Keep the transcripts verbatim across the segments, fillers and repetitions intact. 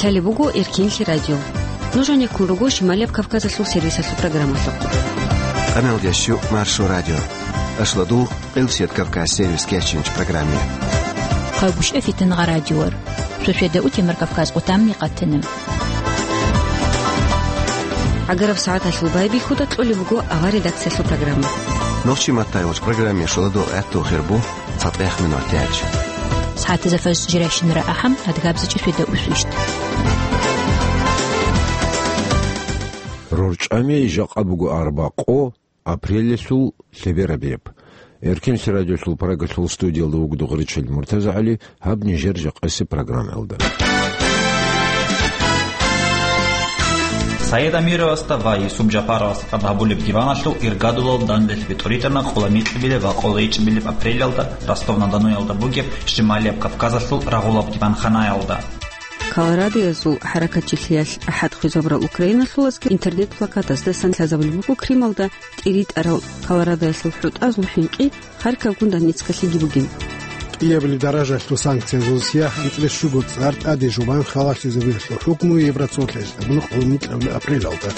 Талеб буго Эркинлъи радио. Нуж гьанеккун руго Шималияб Кавказалъул сервисалъул программалъухъ. Къамел ящу Маршо радио. Ашладул Къилсият Кавказ сервис кечинч программе. Хъагушев Фитнагъа радиор. Шошеда утемар Кавказ къутамни къатина. Агараб сагӀаталъул байбихьуда кьолеб буго ава редакциялъул программа. Нохчи маттай вач программе шоладул гӀатту хирбу. ЦатӀех минутач. СагӀатазда фарз жирайщинара ахӀам, адгабзачӀи шведа усвищт. РорчӀами жакъа буго арбакъо, апрелалъул лъеберабияб. Эркинлъи радиолъул Прагалъул студиялда вугода Гъуричел МуртазагӀали, гьаб нижер жакъаси программаялда. Саид Амировасда ва Юсуп Жапаровасда тӀад гьабулеб диваналъул иргадулал данделъ битӀуритӀана къоло микьабилеб ва къоло ичӀабилеб апрелалда Ростов-на-Доноялда бугеб Шималияб Кавказалъул рагъулаб диванханаялда. Колорадоязул хӀаракатчилъиялъ ахӀад хвезабурал украиналъул аскар интернет-плакатаздасан лъазабулеб буго Крымалда тӀиритӀарал Колорадоялъул хӀутӀазул хӀинкъи Харьковгун Донецкалъеги бугин. КӀиабилеб даражалъул санкциязул сияхӀ анцӀила щуго цӀар тӀаде жубан халалъизабиялъул хӀукму Евроцолъиялъ абуна къоло микьабилеб апрелалда.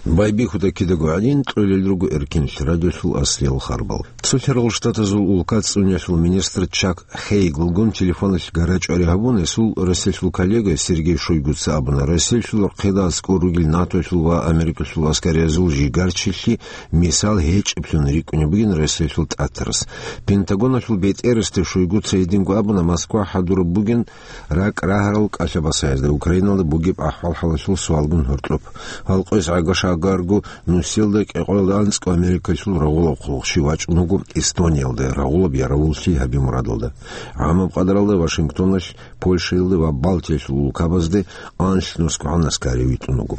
Байбихьуда кидаго гӀадин, кьолел руго Эркинлъи радиолъул аслиял харбал. Цолъарал Штатазул улка цӀуниялъул министр Чак Хейглгун телефоналъ гарачӀвари гьабун, гьесул Россиялъул коллега Сергей Шойгуца абуна, Россиялъул рахъеда аскӀор ругел НАТОялъул ва Америкалъул аскариязул жигарчилъи мисал гьечӀеблъун рикӀкӀунеб бугин Россиялъул тӀатарас. Пентагоналъул бетӀерасде Шойгуца гьединго абуна, Москва хӀадураб бугин ракӀ рагьарал кӀалъа-басаязда Украиналда бугеб ахӀвал-хӀалалъул суалгун гьоркьоб. Гьалкъоялъ гӀага-шагарго нусиялда кӀикъоялда анцӀго Америкалъул рагъулаб хъулухъ щив вачӀун вуго Эстониялда рагъулаб яравуллъи гьаби мурадалда. ГӀамаб къадралда Вашингтоналъ, Польшаялда ва Балтиялъул улкабазде анлънусгогӀан аскари витӀун вуго.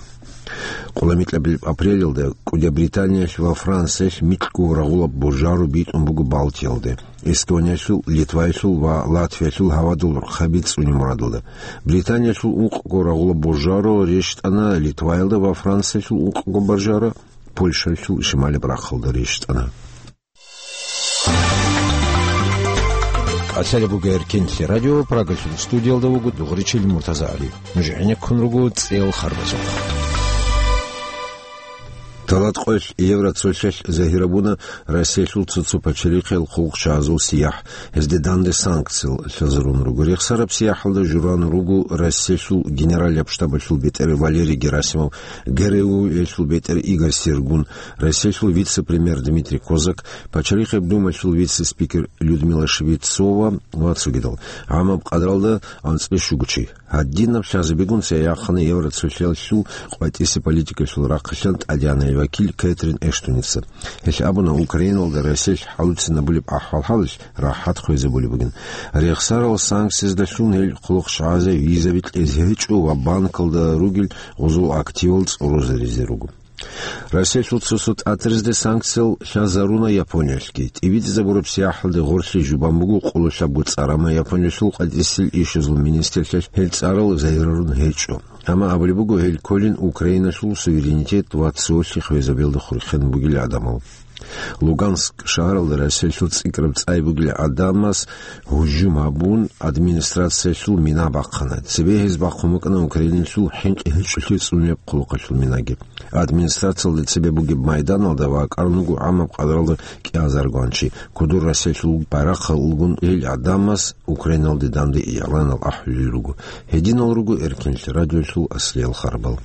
Къоло микьабилеб апрелалда кӀудияб Британиялъ ва Франциялъ микьго рагъулаб божаро битӀун буго Балтиялде. Эстониялъул, Литваялъул ва Латвиялъул гьавадул рахъаби цӀуни мурадалда. Британиялъул ункъго рагъулаб божаро рещтӀана Литваялда ва Франциялъул ункъго божаро Польшаялъул шималаб рахъалда рещтӀана. КӀалъалеб буго Эркинлъи радио, Прагалъул студиялда вуго Дугъричил МуртазагӀали. Нуж гӀенеккун руго цӀел харбазухъ. Талат къоялъ Евроцолъиялъ загьирабуна Россиялъул цо-цо пачалихъел хъулухъчагӀазул сияхӀ, гьезде данде санкциял лъазарун руго. Рехсараб сияхӀалда журан руго Россиялъул генералияб штабалъул бетӀер Валерий Герасимов, ГРУ-ялъул бетӀер Игорь Сергун, Россиялъул вице-премьер Дмитрий Козак, Пачалихъеб Думаялъул вице-спикер Людмила Швецова ва цогидал. ГӀамаб къадралда анцӀила щуго чи. Гьадинаб лъазабигун цеяхъана Евроцолъиялъул къватӀиса политикалъул рахъалъан ТӀадегӀанай вакил Кэтрин Эштоница. Гьелъ абуна, Украиналда Россиялъ хӀалуцинабулеб ахӀвал-хӀалалъ рахӀат хвезабулеб бугин. Рехсарал санкцияздалъун гьел хъулухъчагӀазе визаби кьезе гьечӀо ва банкалда ругел гъозул активал цӀорозаризе руго. Россиялъул цо-цо тӀатарзде санкциял лъазаруна Япониялъги. ТӀибитӀизабураб сияхӀалде гъорлъи жубан буго къоло лъабго цӀар, амма Япониялъул къватӀисел ишазул министрлъиялъ гьел цӀарал загьирарун гьечӀо. Амма абулеб буго, гьел кколин Украиналъул суверенитет ва цолъи хвезабиялда хурхен бугел гӀадамал. Луганск шагьаралда Россиялъул цӀикӀкӀараб цӀай бугел гӀадамас гьужум гьабун, администрациялъул мина бахъана. Цебе гьез бахъун букӀана Украиналъул хӀинкъи гьечӀолъи цӀунеб хъулухъалъул минаги. Администрациялда цебе бугеб майданалда вакӀарун вуго гӀамаб къадралда кӀиазаргван чи. Кодор Россиялъул байрахъалгун гьел гӀадамас Украиналде данде игӀланал ахӀулел руго. Гьединал руго Эркинлъи радиолъул аслиял харбал.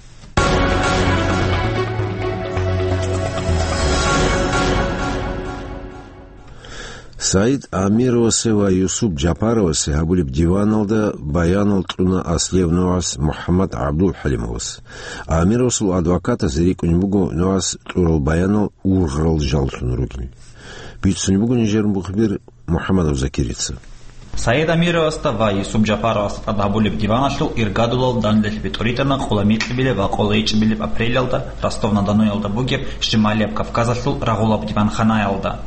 Саид Амировасе ва Юсуп Жапаровасе гьабулеб диваналда баянал кьуна аслияб нугӀас МухӀаммад ГӀабдулхӀалимовас. Амировасул адвокатас рикӀкӀунеб буго нугӀас кьурал баянал ургъарал жаллъун ругел. Бицунеб буго нижер мухбир МухӀаммадов Закирица. Саид Амировасда ва Юсуп Жапаровасда тӀад гьабулеб диваналъул иргадулал данделъ битӀуритӀана къоло микьабилеб ва къоло ичӀабилеб апрелалда Ростов-на-Доноялда бугеб Шималияб Кавказалъул рагъулаб диванханаялда.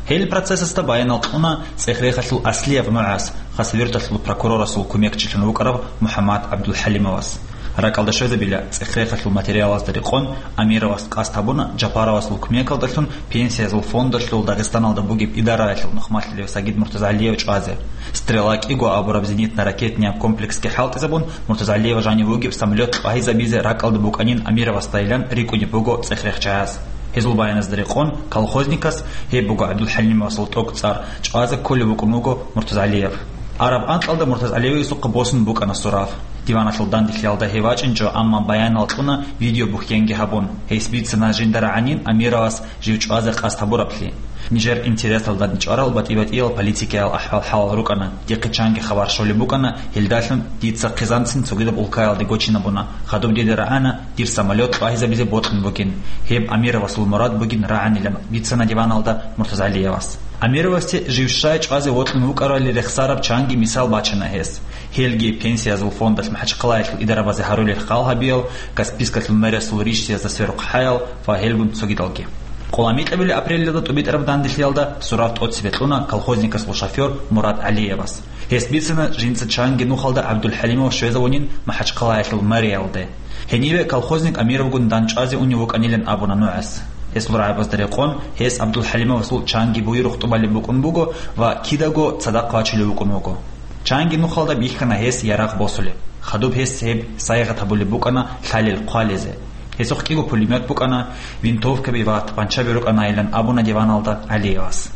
Гьел процессасда баянал кьуна цӀех-рехалъул аслияб нугӀас, Хасавюрталъул прокурорасул кумекчилъун вукӀарав МухӀаммад ГӀабдулхӀалимовас. РакӀалда щвезабила цӀех-рехалъул материалазда рекъон, Амировас къасд гьабуна Жапаровасул кумекалдалъун пенсиязул фондалъул Дагъистаналда бугеб идараялъул нухмалъулев Сагид Муртазалиев чӀвазе. «Стрела» кӀиго абураб зенитно-ракетный комплексги хӀалтӀизабун, Муртазалиев жанив вугеб самолет лъугьайзабизе ракӀалда букӀанин Амировасдайилан рикӀкӀунеб буго цӀех-рехчаяс. Гьезул баяназда рекъон, колхозникас, гьеб буго ГӀабдулхӀалимовасул тӀокӀцӀар, чӀвазе кколев вукӀун вуго Муртазалиев. Араб анкьалда Муртазалиевасухъа босун букӀана сурав. Диваналъул данделъиялда гьев вачӀинчӀо, амма баянал кьуна видеобухьенги гьабун. Гьес бицана жинда рагӀанин Амировас жив чӀвазе къасд гьабураблъи. Нижер интересалда чӀварал батӀи-батӀиял политикиял ахӀвал-хӀалал рукӀана, дихъе чанги хабар щолеб букӀана, гьелдалъун дица хъизанцин цогидаб улкаялде гочинабуна, хадуб дида рагӀана дир самолет лъугьайзабизе бокьун бугин. Гьеб Амировасул мурад бугин рагӀанилан бицана диваналда Муртазалиевас. Амировасде жив щай чӀвазе вокьун вукӀарали рехсараб чанги мисал бачана гьес. Гьелги пенсиязул фондалъ МахӀачхъалаялъул идарабазе гьарулел хал гьабиял, Каспийскалъул мэриясул ришсиязда сверухъ хӀаял ва гьелгун цогидалги. Къоламикьабили апрелида тӀубитӀараб данделъиялда сурав тӀоцебе кьуна колхозникасул шофёр Мурад ГӀалиевас. Гьес бицана жинца чанги нухалда ГӀабдулхӀалимов щвезавунин МахӀачхъалаялъул мэриялде. Гьениве колхозник Амировгун дандчӀвазе унев вукӀанилан абуна нугӀас. Гьесул рагӀабазда рекъон, гьес ГӀабдулхӀалимовасул чанги буюрухъ тӀубалеб букӀун буго ва кидаго цадахъ вачулев вукӀун вуго. Чанги нухалда бихьана гьес ярагъ босулеб. Хадуб гьес гьеб сайигъат гьабулеб букӀана лъалел хъвалезе. Гьесухъ кӀиго пулемет букӀана, винтовкаби ва тапанчаби рукӀанайилан абуна диваналда ГӀалиевас.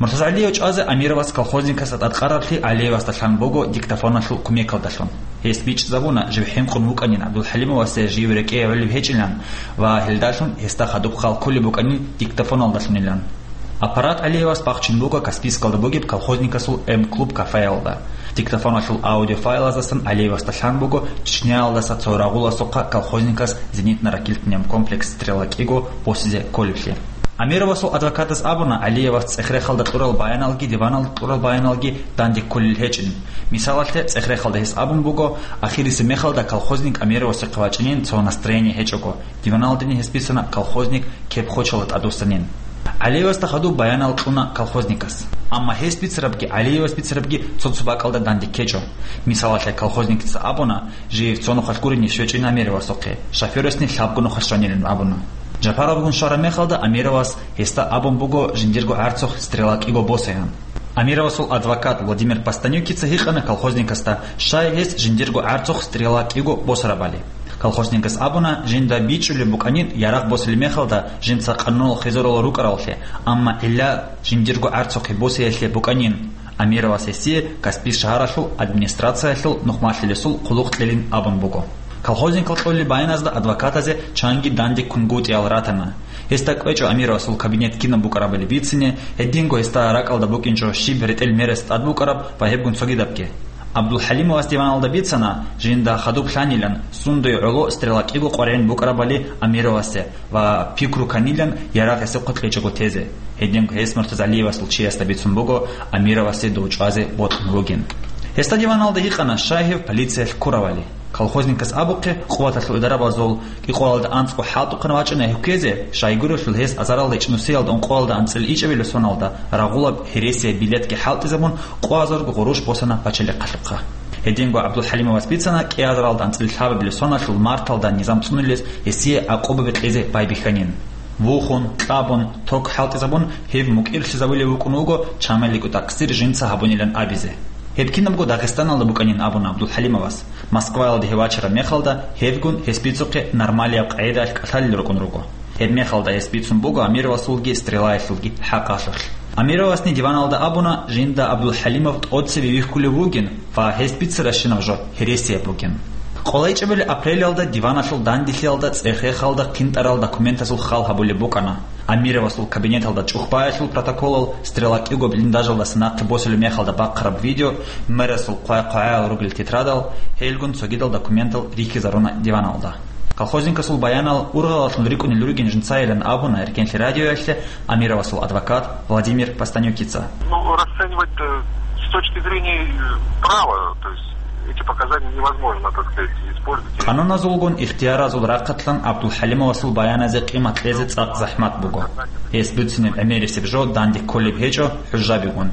Муртазагьалиев чӀвазе Амировас колхозникасда тӀадкъараблъи ГӀалиевасда лъан буго диктофоналъул кумекалдалъун. Гьес бичӀчӀизабуна жив хӀинкъун вукӀанин ГӀабдулхӀалимовасе жив рекӀее гӀолеб гьечӀилан ва гьелдалъун гьесда хадуб хал кколеб букӀанин диктофоналдалъунилан. Аппарат ГӀалиевас бахчун буго Каспийскалда бугеб колхозникасул М-клуб кафеялда. Диктофоналъул аудиофайлаздасан ГӀалиевасда лъан буго Чечняялдаса цо рагъуласухъа колхозникас зенитно-ракетный комплекс «Стрела» кӀиго босизе кколеблъи. Амировасул адвокатас абуна, ГӀалиевас цӀех-рехалда кьурал баяналги диваналда кьурал баяналги данде кколел гьечӀин. Мисалалъе, цӀех-рехалда гьес абун буго, ахирисеб мехалда колхозник Амировасухъе вачӀинин цо настроение гьечӀого, диваналдани гьес бицана колхозник кеп-хочалда тӀадвуссанин. ГӀалиевасда хадуб баянал кьуна колхозникас. Амма гьес бицарабги ГӀалиевас бицарабги цо-цо бакӀалда данде ккечӀо. Мисалалъе, колхозникица абуна, жив цо нухалъ гурине щвечӀин Амировасухъе, шофёрасни лъабго нухалъ щванилан абуна. Жапаровгун щвараб мехалда Амировас гьесда абун буго жиндирго гӀарцухъ «Стрела» кӀиго босаян. Амировасул адвокат Владимир Постанюкица гьикъана колхозникасда, щай гьес жиндирго гӀарцухъ «Стрела» кӀиго босарабали. Колхозникас абуна, жинда бичӀчӀулеб букӀанин ярагъ босулеб мехалда жинца къануналъ хизарулел рукӀараллъи, амма гӀилла жиндирго гӀарцухъе босиялъе букӀанин. Амировас гьесие Каспий шагьаралъул администрациялъул нухмалъулесул хъулухъ кьелин абун буго. Колхозникал кьолеб баяназда адвокатазе чанги данде ккунгутӀиялъ ратана. Гьесда кӀвечӀо Амировасул кабинет кинаб букӀарабали бицине, гьединго гьесда ракӀалда букӀинчӀо щиб ретӀел мерас тӀад букӀараб ва гьебгун цогидабги. ГӀабдулхӀалимовас диваналда бицана, жинда хадуб лъанилан, сундуе гӀоло «Стрела» кӀиго къваригӀин букӀарабали Амировасе ва пикру кканилан ярагъ гьесухъе кьечӀого тезе. Гьединго гьес Муртазагьалиевасул чиясда бицун буго Амировасе дов чӀвазе бокьун вугин. Гьесда диваналда гьикъана, щай гьев полициялъ ккуравали. Колхозникас абухъе, къуваталъул идарабазул кӀикъоялда анцӀго хӀалтӀухъан вачӀана гьев ккезе, щайгурелъул гьес азаралда ичӀнусиялда ункъоялда анцӀила ичӀабилеб соналда рагъулаб гьересияб билетги хӀалтӀизабун, къоазарго гъурущ босана пачалихъалъухъа. Гьединго ГӀабдулхӀалимовас бицана кӀиазаралда анцӀила лъабабилеб соналъул марталда низам цӀунулез гьесие гӀакъубаби кьезе байбихьанин. Вухун, кьабун, ток хӀалтӀизабун, гьев мукӀирлъизабулев вукӀун вуго, чамалиго такъсир жинца гьабунилан абизе. Гьеб кинабго Дагъистаналда букӀанин абуна ГӀабдулхӀалимовас. Москваялде гьев вачараб мехалда, гьевгун гьес бицухъе нормалияб къагӀидаялъ кӀалъалел рукӀун руго. Гьеб мехалда гьес бицун буго Амировасулги Стрелаялъулги хӀакъалъулъ. Амировасни диваналда абуна, жинда ГӀабдулхӀалимов тӀоцебе вихьулев вугин ва гьес бицаращинаб жо гьересияб бугин. КъолайчӀебали апрелалда диваналъул данделъиялда цӀех-рехалда къинтӀарал документазул хал гьабулеб букӀана. Амировасул кабинеталда чӀухӀбаялъул протоколал, Стрела кӀиго блиндажалдаса нахъе босулеб мехалда бахъараб видео, мэрасул хъвай-хъвагӀаял ругел тетрадал, гьелгун цогидал документал рихьизаруна диваналда. Колхозникасул баянал ургъалалъун рикӀкӀунел ругин жинцайилан абуна Эркенлъи радиоялъе Амировасул адвокат Владимир Постанюкица. Ну, расценивать, э, с точки зрения, э, права, то есть эти показания невозможно, так сказать, использовать. Къануназулгун ихтияразул рахъалъан ГӀабдулхӀалимовасул баяназе къимат кьезе цӀакъ захӀмат буго. Гьес буцинеб гӀемерисеб жо данде кколеб гьечӀо хӀужабигун.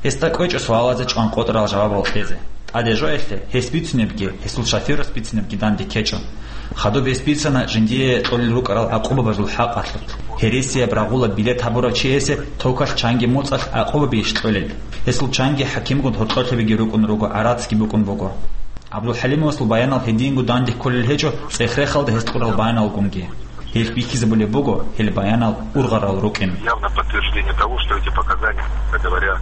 Гьесда кӀвечӀо суалазе чӀванкъотӀарал жавабал кьезе. ТӀаде жоялъе гьес бицунебги, гьесул шоферас бицунебги данде ккечӀо. Хадуб гьес бицана жиндие кьолел рукӀарал гӀакъубабазул хӀакъалъулъ. Гьересияб рагъулаб билет гьабурав чиясе токалъ чанги моцӀалъ гӀакъубабищ кьолел? Гьесул чанги хӀакимгун гьоркьолъабиги рукӀун руго, гӀарацги букӀун буго. ГӀабдулхӀалимовасул баянал гьединго данде кколел гьечӀо, цӀех-рехалда гьес кьурал баяналгунги. Гьелъ бихьизабулеб буго гьел баянал ургъарал рукӀин. Явное подтверждение того, что эти показания, как говоря,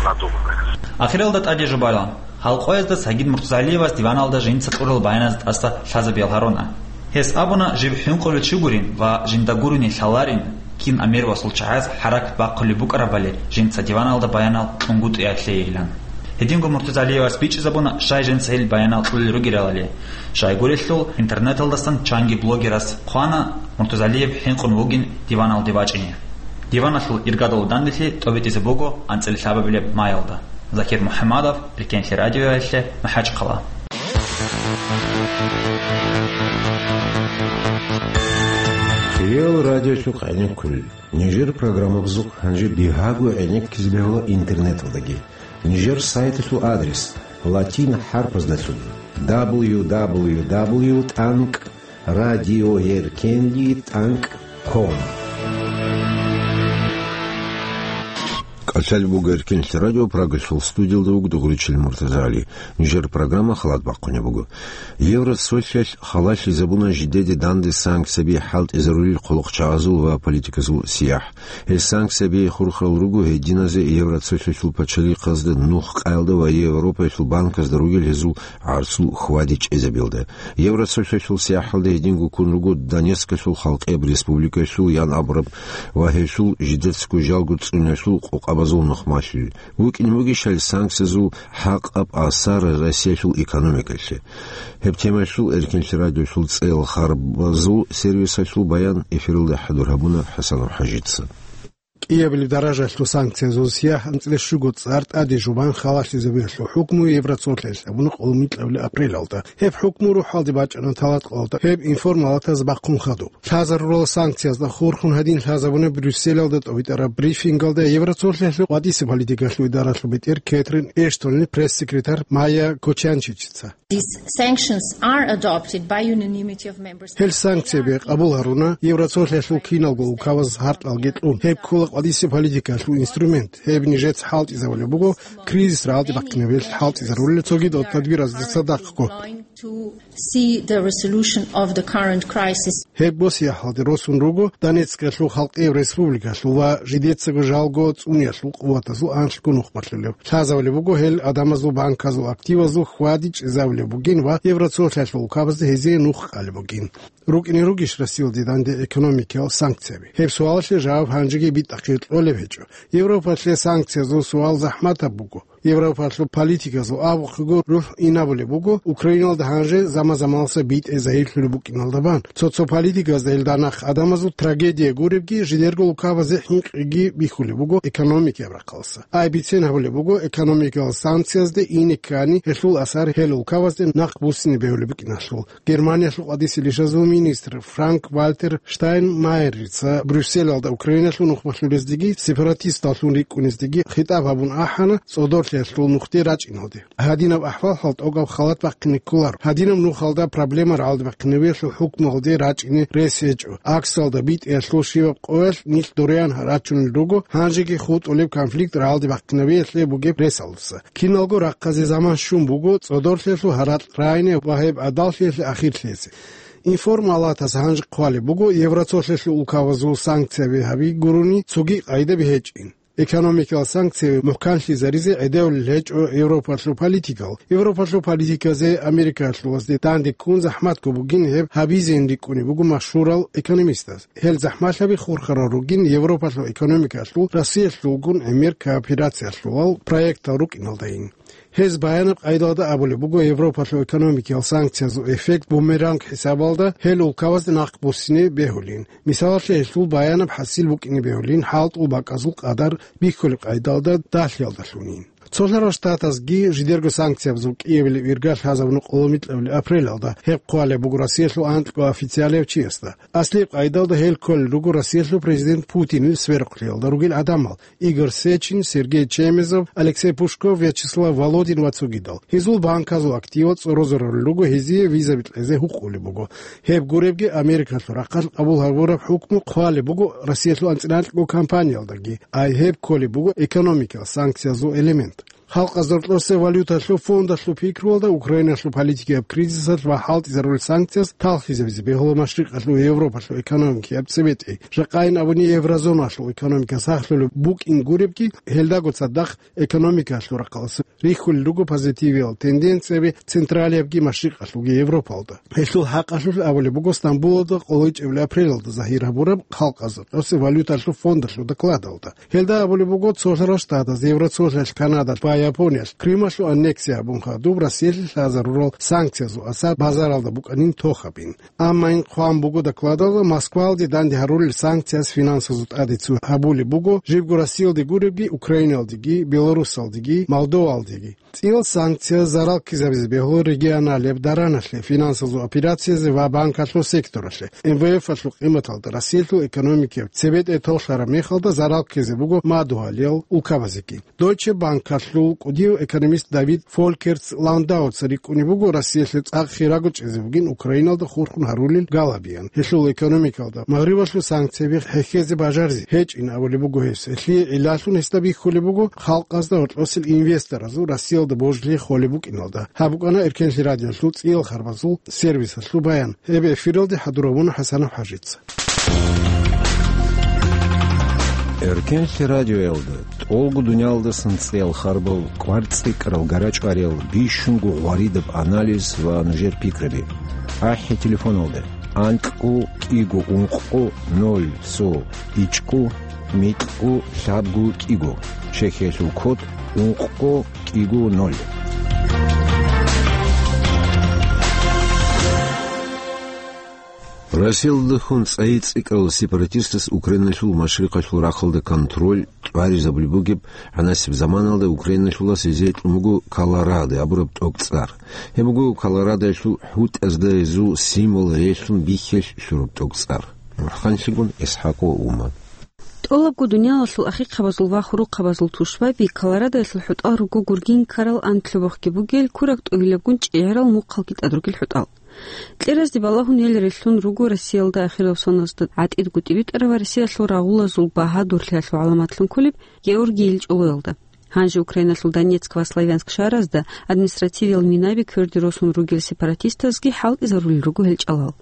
надуманные. Ахиралда тӀаде жубала. Гьал къоязда Сагид Муртазалиевас диваналда жинца кьурал баяназ тӀаса лъазабиял гьаруна. Гьес абуна, жиб хӀинкъулев чи гурин ва жинда гурони лъаларин, кин амирвасул чагӀаз хӀаракат бахъулеб букӀарабали жинца диваналда баянал кьунгутӀиялъейилан. Гьединго Муртазалиевас бичӀчӀизабуна, щай жинца гьел баянал кьулел ругелалали. Щайгурелъул, интернеталдасан чанги блогерас хъвана Муртазалиев хӀинкъун вугин диваналде вачӀине. Диваналъул иргадал данделъи тӀобитӀизе буго анцӀила лъабабилеб майалда. Закир МухӀаммадов, Эркенлъи радиоялъе, МахӀачхъала. Реал радиолъухъ гӀенеккулел. Нижер программабазухъ гьанже бигьаго гӀенеккизе бегьула интернеталдаги. Нижер сайталъул адрес латин хӀарпаздалъун: дабл ю дабл ю дабл ю тӀанкӀ радиоеркенлъи тӀанкӀ ком. КӀалъалеб буго Эркенлъи радио, Прагалъул студиялда вуго дугӀуричил Муртазали. Нижер программа халат бахъунеб буго. Евроцолъиялъ халалъизабуна жидеде данде санкцияби хӀалтӀизарулел хъулухъчагӀазул ва политиказул сияхӀ. Гьел санкцияби хурхарал руго гьединазе Евроцолъиялъул пачалихъазда, нух къаялда ва Европаялъул банказда ругел гьезул гӀарцул хьвади чӀезабиялда. Евроцолъиялъул сияхӀалда гьединго ккун руго Донецкалъул халкъияб республикаялъул ян абураб ва гьелъул жидецаго жалго цӀуниялъул къокъабазул нухмалъи. ВукӀине бугищали санкциязул хӀакъаб асар Россиялъул экономикалъе? Гьеб темаялъул Эркенлъи радиолъул цӀел харбазул сервисалъул баян эфиралда хӀадур гьабуна ХӀасанов ХӀажица. КӀиабилеб даражалъул санкциязул сияхӀ анцӀила щуго цӀар тӀаде жубан халалъизабиялъул хӀукму Евроцолъиялъ абуна къоло микьабилеб апрелалда. Гьеб хӀукму рухӀалде бачӀана талатӀкъалалда гьеб информалатаз бахъун хадуб. Лъазарурал санкциязда хурхун гьадин лъазабуна Брюсселалда тӀобитӀараб брифингалда Евроцолъиялъул къватӀиса политикалъул идаралъул бетӀер Кэтрин Эштонил пресс-секретарь Майя Кочанчичица. These sanctions are adopted by unanimity of member states. Гьел санкцияби къабул гьаруна Евроцолъиялъул киналго улкабаз гьаркьалги кьун. Гьеб ккола къватӀиса политикалъул инструмент. Гьеб нижеца хӀалтӀизабулеб буго кризис рагӀалде бахъинабиялъ хӀалтӀизарулел цогидал тадбираздаса дагъго. To see the resolution of the current crisis. Гьеб босиялъалде росун руго Донецкалъул халкъияб республикалъул ва жидецаго жалго цӀуниялъул къуватазул анлъго нух балъулеб. Лъазабулеб буго гьел адамазул банказул активазул хьвади чӀезабулеб бугин ва Евроцолъиялъул улкабазда гьезие нух къалеб бугин. РукӀине ругищ Россиялде данде экономикиял санкцияби? Гьеб суалалъе жаваб гьанжеги битӀахъе кьолеб гьечӀо. Европалъе санкциязул суал захӀматаб буго. Европалъул политиказул абухъего рухӀ инабулеб буго Украиналда гьанже заман-заманалса битӀе загьирлъулеб букӀиналда бан. Цо-цо политиказда гьелда нахъ гӀадамазул трагедия гуребги, жидерго улкабазе хӀинкъиги бихьулеб буго экономикияб рахъалса. Ай бицен гьабулеб буго экономикиял санкциязде ине ккани, гьелъул асар гьел улкабазде нахъ буссине бегьулеб букӀиналъул. Германиялъул къватӀиса лишазул министр Франк-Вальтер Штайнмайерица Брюсселалда Украиналъул нухмалъулездеги сепаратисталлъун рикӀкӀунездеги хитӀаб гьабун ахӀана цӀодорлъиялъул нухде рачӀиналде. Гьадинаб ахӀвал-хӀал тӀокӀаб халат бахъине кколаро. Гьадинаб нухалда проблема рагӀалде бахъинабиялъул хӀукмуналде рачӀине рес гьечӀо. Аксалда битӀиялъул щибаб къоялъ нилъ дориян рачунел руго, гьанжеги хутӀулеб конфликт рагӀалде бахъинабиялъе бугеб ресалдаса. Киналго рахъазе заман щун буго цӀодорлъиялъул гьаракь райне ва гьеб гӀадаллъиялъе ахирлъизе. Информалатас гьанже хъвалеб буго Евроцолъиялъул улкабазул санкцияби гьаби гурони цоги къайдаби гьечӀин. Экономикиял санкцияби мухӀканлъизаризе гӀедевлъи гьечӀо Европалъул политикал. Европалъул политиказе Америкалъулазде данде ккун захӀматго бугин гьеб гьабизейин рикӀкӀунеб буго машгьурал экономистаз. Гьел захӀмалъаби хурхарал ругин Европалъул экономикалъул Россиялъулгун гӀемер кооперациялъулал проектал рукӀиналдайин. Гьез баянаб къайдалда абулеб буго Европалъул экономикиял санкциязул эффект бумеранг хӀисабалда гьел улкабазде нахъ буссине бегьулин. Мисалалъе, гьелъул баянаб хӀасил букӀине бегьулин хӀалтӀул бакӀазул къадар бихьулеб къайдалда далъиялдалъунин. Цолъарал Штатазги жидерго санкциябазул кӀиабилеб ирга лъазабуна къоло микьабилеб апрелалда. Гьеб хъвалеб буго Россиялъул анкьго официалияв чиясда. Аслияб къайдалда гьел кколел руго Россиялъул президент Путинил сверухълъиялда ругел гӀадамал: Игорь Сечин, Сергей Чемезов, Алексей Пушков, Вячеслав Володин ва цогидал. Гьезул банказул активал цӀорозарулел руго гьезие визаби кьезе гьукъулеб буго. Гьеб гуребги, Америкалъул рахъалъ къабул гьабураб хӀукму хъвалеб буго Россиялъул анцӀила анкьго компаниялдаги, ай гьеб кколеб буго экономикал санкциязул элемент. Халкъазда гьоркьосе валюталъул фондалъул пикруялда Украиналъул политикияб кризисалъ ва хӀалтӀизарулел санкцияз талхизабизе бегьула Машрикъалъул Европалъул экономикияб цебетӀей. Жакъайин абуни, еврозоналъул экономика сахлъулеб букӀин гуребги, гьелдаго цадахъ экономикалъул рахъалъ рихьулел руго позитивиял тенденцияби Централиябги Машрикъалъулги Европалда. Гьелъул хӀакъалъулъ абулеб буго Стамбулалда къоло ичӀабилеб апрелалда загьир гьабураб Халкъазда гьоркьосе валюталъул фондалъул докладалда. Гьелда абулеб буго, цолъарал Штатаз, Евросоюзалъ, Канадалъ ва Япониялъ Крымалъул аннексия гьабун хадуб Россиялъе лъазарурал санкциязул асар базаралда букӀанин тохабин. Амма ин хъван буго докладалда Москвалде данде гьарулел санкцияз финансазул тӀаде цо гьабулеб буго, жибго Россиялде гуребги, Украиналдеги, Беларусалдеги, Молдовалдеги. ЦӀиял санкцияз зарал ккезабизе бегьула регионалияб дараналъе, финансазул операциязе ва банкалъул секторалъе. М В Ф-алъул къиматалда Россиялъул экономикияб цебетӀей толъараб мехалда зарал ккезе буго мадугьалиял улкабазеги. Дойче Банкалъул кӀудияв экономист Давид Фолькерц Ландауца рикӀкӀунеб буго Россиялъе цӀакъ хирего чӀезе бугин Украиналда хурхун гьарулел галабиян. Гьелъул экономикалда Магърибалъул санкцияби хӀехьезе бажаризе гьечӀин абулеб буго гьес. Гьелъие гӀиллалъун гьесда бихьулеб буго халкъазда гьоркьосел инвесторазул Россиялда божилъи холеб букӀиналда. Гьаб букӀана Эркенлъи радиолъул цӀиял харбазул сервисалъул баян. Гьеб эфиралде хӀадур гьабуна ХӀасанов ХӀажица. Эркенлъи радиоялда тӀолго дуниялдасан цӀиял харбал, кӀвар цӀикӀкӀарал, гара-чӀвариял, бищунго гъваридаб анализ ва нужер пикраби. АхӀи телефоналда: анкьго кӀиго ункъго ноль цо ичӀго микьго лъабго кӀиго, Чехиялъул код ункъго кӀиго ноль. Россиялдехун цӀайи цӀикӀкӀарал сепаратистас Украиналъул машрикъалъул рахъалда контроль тӀваризабулеб бугеб гӀанасеб заманалда Украиналъулас гьезие кьун буго Колорадо абураб тӀокӀцӀар. Гьеб буго Колорадоялъул хӀутӀазда гьезул символ релълъун бихьиялъ лъураб тӀокӀцӀар. МухӀканлъигун ИсхӀакъ ва Умар. ТӀолабго дуниялалъул ахикъабазул ва хурухъабазул тушбаби Колорадоялъул хӀутӀал руго гургин ккарал анкьлъубухъги бугел, кураг тӀугьилабгун чӀегӀерал мухъалги тӀад ругел хӀутӀал. Кьеразде балагьун гьел релълъун руго Россиялда ахирав соналъ гӀатӀидго тӀибитӀараб ва Россиялъул рагъулазул багьадурлъиялъул гӀаламатлъун кколеб Георгий ил чӀолоялда. Гьанже Украиналъул Донецк ва Славянск шагьаразда административиял минаби кверде росун ругел сепаратистазги хӀалтӀизарулел руго гьел чӀалал.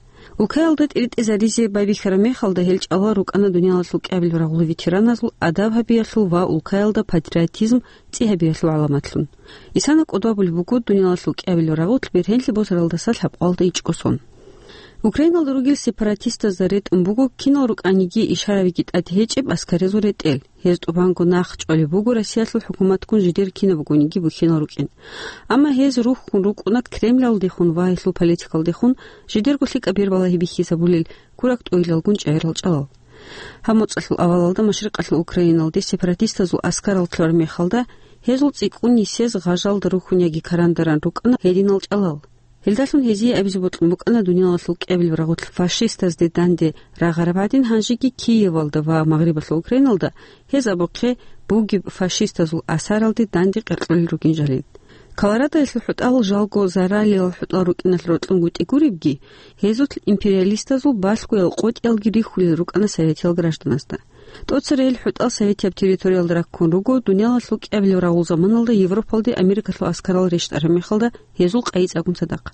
Улкаялда тӀиритӀизаризе байбихьараб мехалда гьел чӀалал рукӀана дуниялалъул кӀиабилеб рагъулел ветераназул адаб гьабиялъул ва улкаялда патриотизм цӀи гьабиялъул гӀаламатлъун. Исана кӀодо абулеб буго дуниялалъул кӀиабилеб рагъулъ бергьенлъи босаралдаса лъабкъоялда ичӀго сон. Украиналда ругел сепаратистазда ретӀун буго кинал рукӀаниги ишаравиги тӀад гьечӀеб аскарилъул ретӀел. Гьез тӀубанго нахъ чӀвалеб буго Россиялъул хӀукуматгун жидер кинаб бугониги бухьинал рукӀин. Амма гьез рухьун рукӀуна Кремлалдехун ва гьелъул политикалдехун жидерго лъикӀаб бербалагьи бихьизабулел кураг тӀугьилалгун чӀегӀерал чӀалал. Гьаб моцӀалъул авалалда машрикъалъул Украиналде сепаратистазул аскарал лъураб мехалда, гьезул цӀикӀкӀун нисез гъажалда рухьун яги карандаран рукӀана гьединал чӀалал. Гьелдалъун гьезие абизе бокьун букӀана дуниялалъул кӀиабилеб рагъулъ фашистазде данде рагъараб гӀадин, гьанжеги Киевалда ва Магърибалъул Украиналда гьез абухъе бугеб фашистазул асаралде данде къеркьулел ругин жалин. Колорадоялъул хӀутӀал жалго заралилал хӀутӀал рукӀиналъ рокьунгутӀи гуребги, гьезулъ империалистазул балъгоял къотӀиялги рихьулел рукӀана советиял гражданазда. ТӀоцерейил хӀутӀал советияб территориялда раккун руго, дуниялалъул кӀиабилеб рагъул заманалда Европалде Америкалъул аскарал рещтӀараб мехалда гьезул къайи цӀакъун цадахъ.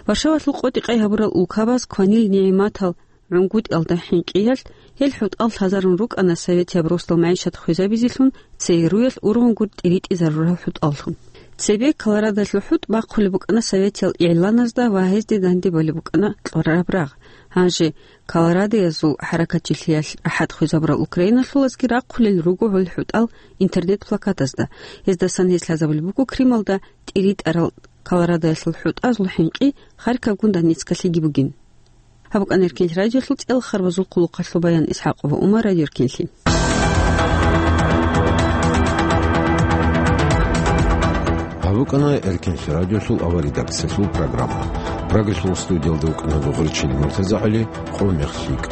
Варшавалъул къотӀи-къай гьабурал улкабаз кванил нигӀматал гӀунгутӀиялда хӀинкъиялъ, гьел хӀутӀал лъазарун рукӀана советияб росдал магӀишат хвезабизелъун ЦРУ-ялъ ургъун гур тӀиритӀизарурал хӀутӀаллъун. Цебе Колорадоялъул хӀутӀ бахъулеб букӀана советиял игӀланазда ва гьезде данде балеб букӀана кьураб рагъ. Гьанже Колорадоязул хӀаракатчилъиялъ рахӀат хвезабурал украиналъулазги рахъулел руго гьел хӀутӀал интернет-плакатазда. Гьездасан гьез лъазабулеб буго Крымалда тӀиритӀарал Колорадоялъул хӀутӀазул хӀинкъи Харьковгун Донецкалъеги бугин. Гьаб букӀана Эркенлъи радиолъул цӀел харбазул хъулухъалъул баян. ИсхӀакъова Умар, Радио Эркенлъи. БукӀана Эркенлъи радиолъул аваридакциялъул программа. Прагалъул студиялда вукӀана Гъурчил МуртазагӀали, къо мех лъикӀ.